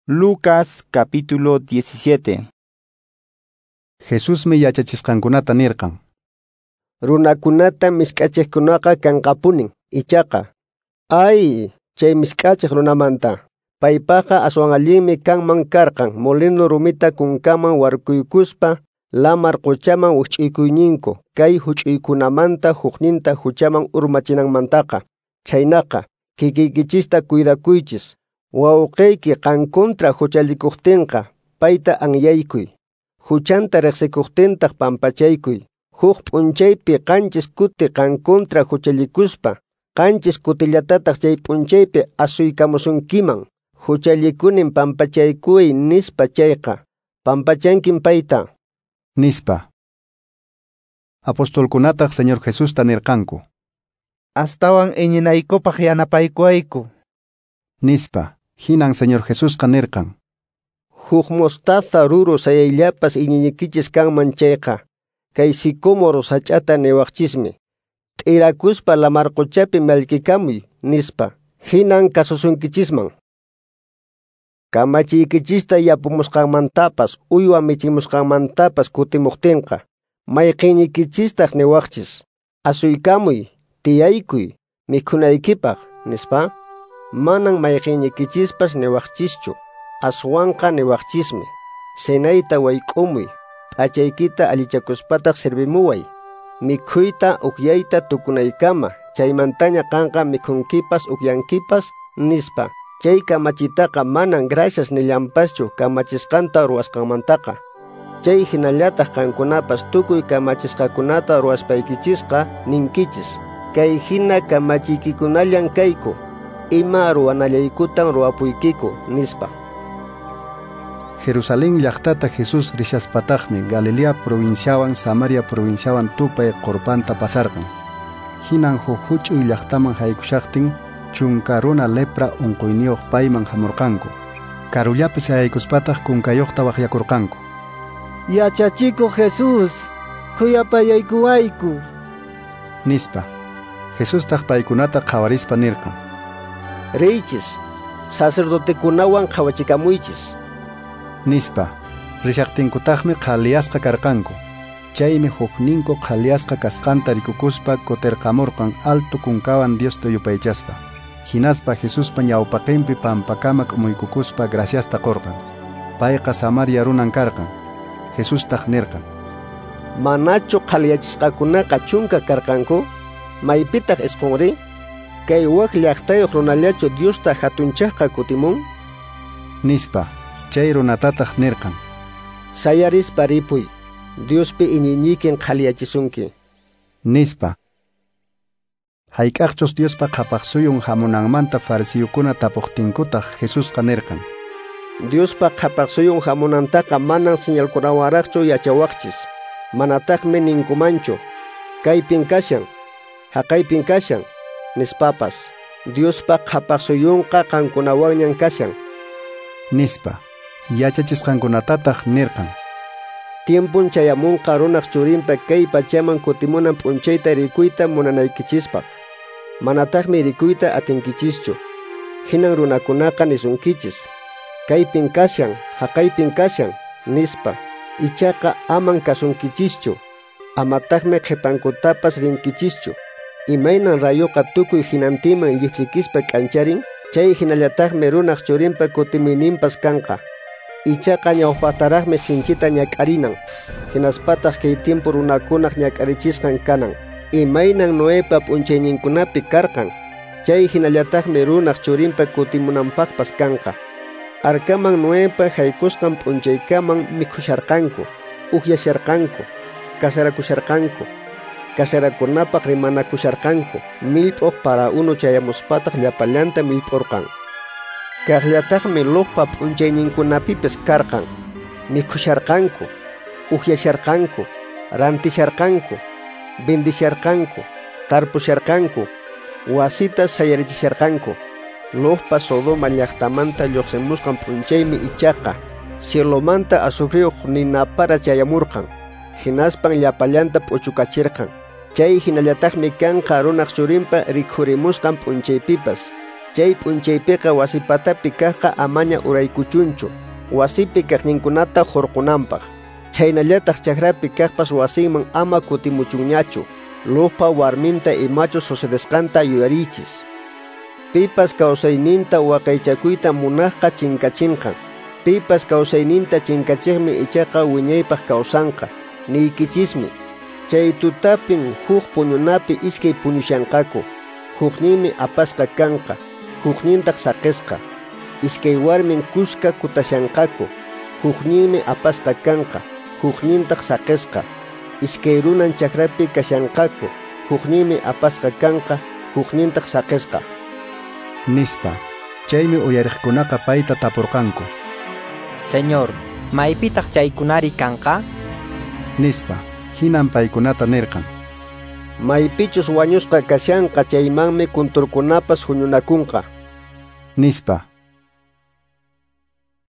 Lucas capítulo 17. Jesusmi yachachisqankunata nirqan: Runakunata misk'achiqkunaqa kanqapunin, ichaqa ay, chay misk'achiq runamanta. Paypaqqa aswan allinmi kanman karqan molino rumita kunkaman warkuykuspa lamar quchaman wikch'uykuyñinku kay huch'uykunamanta hukninta huchaman urmachinanmantaqa. Chhaynaqa kikiykichista cuidakuychis. Wawqiyki qan contra huchallikuqtinqa payta anyaykuy. Huchanta riqsikuqtintaq pampachaykuy. Huk p'unchaypi qanchis kuti qan contra huchallikuspa, qanchis kutillatataq chay p'unchaypi asuykamusunkiman. Huchallikunin pampachaykuy nispa chayqa, pampachankin payta. Nispa. Apostolkunataq Señor Jesusta nirqanku: Astawan iñinaykupaq yanapaykuwayku. Nispa. Hinan Señor Jesusqa nirqan: Huk mostaza ruru sayayllapas iñiykichis kanman chayqa, kay sicómoro sach'ata niwaqchismi: T'irakuspa lamar quchapi mallkikamuy, nispa. Hinan kasusunkichisman. Kamachiykichista yapumusqanmantapas uywa michimusqanmantapas kutimuqtinqa, mayqinnikichistaq niwaqchis: Asuykamuy, tiyaykuy, mikhunaykipaq, nispa. Manan mayqinnikichispas niwaqchischu, aswanqa niwaqchismi: Cenayta wayk'umuy, p'achaykita allichakuspataq servimuway, mikhuyta ukyayta tukunaykama, chaymantaña qanqa mikhunkipas ukyankipas, nispa. Chay kamachitaqa manan gracias nillanpaschu kamachisqanta ruwasqanmantaqa. Chay hinallataq qankunapas tukuy kamachisqakunata ruwaspaykichisqa ninkichis: Kay hina kamachiykikunallan kayku, ima ruwanallaykutan ruwapuykiku, nispa. Jerusalén llaqtata Jesús rishaspataqmi Galilea provinciawan Samaria provinciawan tupay qurpanta pasarqan. Hinan huk huch'uy llaqtaman haykushaqtin chunka runa lepra unquyniyuq payman hamurqanku. Karullapi sayaykuspataq kunkayuqta waqyakurqanku: Yachachikuq Jesús, khuyapayaykuwayku, nispa. Jesustaq paykunata qhawarispa nirqan: Riychis, sacerdotekunawan qhawachikamuychis, nispa. Rishaqtinkutaqmi qhaliyasqa karqanku. Chaymi hukninku qhaliyasqa kasqanta rikukuspa kutirqamurqan alto kunkawan Diosta yupaychaspa. Hinaspa Jesuspa ñawpaqinpi pampakama k'umuykukuspa graciasta qurqan. Payqa Samaria runan karqan. Jesustaq nirqan: Manachu qhaliyachisqakunaqa chunka karqanku? Maypitaq isqunri? Kay wak llaqtayuq runallachu Diosta hatunchaqqa kutimun? Nispa. Chay runatataq nirqan: Sayarispa ripuy, Diospi iñiynikin qhaliyachisunki, nispa. Hayk'aqchus Diospa qhapaqsuyun hamunanmanta farisiyukuna tapuqtinkutaq Jesusqa nirqan: Diospa qhapaqsuyun hamunantaqa manan señalkunawanraqchu yachawaqchis, manataqmi ninkumanchu: Kaypin kashan, haqaypin kashan, nispapas. Diospa qhapaqsuyunqa qankunawanñan kashan, nispa. Yachachisqankunatataq nirqan: Tiempun chayamunqa runaq churinpa kay pachaman kutimunan p'unchayta rikuyta munanaykichispaq. Manataqmi rikuyta atinkichischu. Hinan runakunaqa nisunkichis: Kaypin kashan, haqaypin kashan, nispa. Ichaqa aman kasunkichischu, amataqmi qhipankutapas rinkichischu. Imaynan rayuqa tukuy hinantinman lliplikispa k'ancharin, chay hinallataqmi runaq churinpa kutimuyninpas kanqa. Ichaqa ñawpaqtaraqmi sinchita ñak'arinan, hinaspataq kay tiempo runakunaq ñak'arichisqan kanan. Imaynan Noepa p'unchayninkunapi karqan, chay hinallataqmi runaq churinpa kutimunanpaqpas kanqa. Arkaman Noepa haykusqan p'unchaykaman mikhusharqanku, ukyasharqanku, kasarakusharqanku, kasarakunapaq rimanakusharqanku. Millp'uq para unu chayamuspataq llapallanta millp'urqan. Kaqllataqmi Lotpa p'unchayninkunapipis karqan. Mikhusharqanku, ukyasharqanku, rantisharqanku, bendisharqanku, tarpusharqanku, wasita sayarichisharqanku. Lotpa Sodoma llaqtamanta lluqsimusqan p'unchaymi ichaqa cielomanta azufriyuq ninapara chayamurqan, hinaspan llapallanta p'uchukachirqan. Chay hinallataqmi kanqa runaq churinpa rikhurimusqan p'unchaypipas. Chay p'unchaypiqa wasi patapi kaqqa amaña uraykuchunchu, wasipi kaqninkunata hurqunanpaq. Chhaynallataq chakrapi kaqpas wasinman ama kutimuchunñachu. Lotpa warminta imachus sucedesqanta yuyariychis. Pipas kawsayninta waqaychakuyta munaqqa chinkachinqan. Pipas kawsayninta chinkachiqmi ichaqa wiñaypaq kawsanqa. Niykichismi, chay tutapin huk puñunapi iskay puñushanqaku. Hukninmi apasqa kanqa, huknintaq saqisqa. Iskay warmin kuska kutashanqaku. Hukninmi apasqa kanqa, huknintaq saqisqa. Iskay runan chakrapi kashanqaku. Hukninmi apasqa kanqa, huknintaq saqisqa. Nispa. Chaymi uyariqkunaqa payta tapurqanku. Señor, maypitaq chaykunari kanqa? Nispa. Hinan paykunata nirqan. Maypichus wañusqa kashanqa chaymanmi kunturkunapas huñunakunqa. Nispa.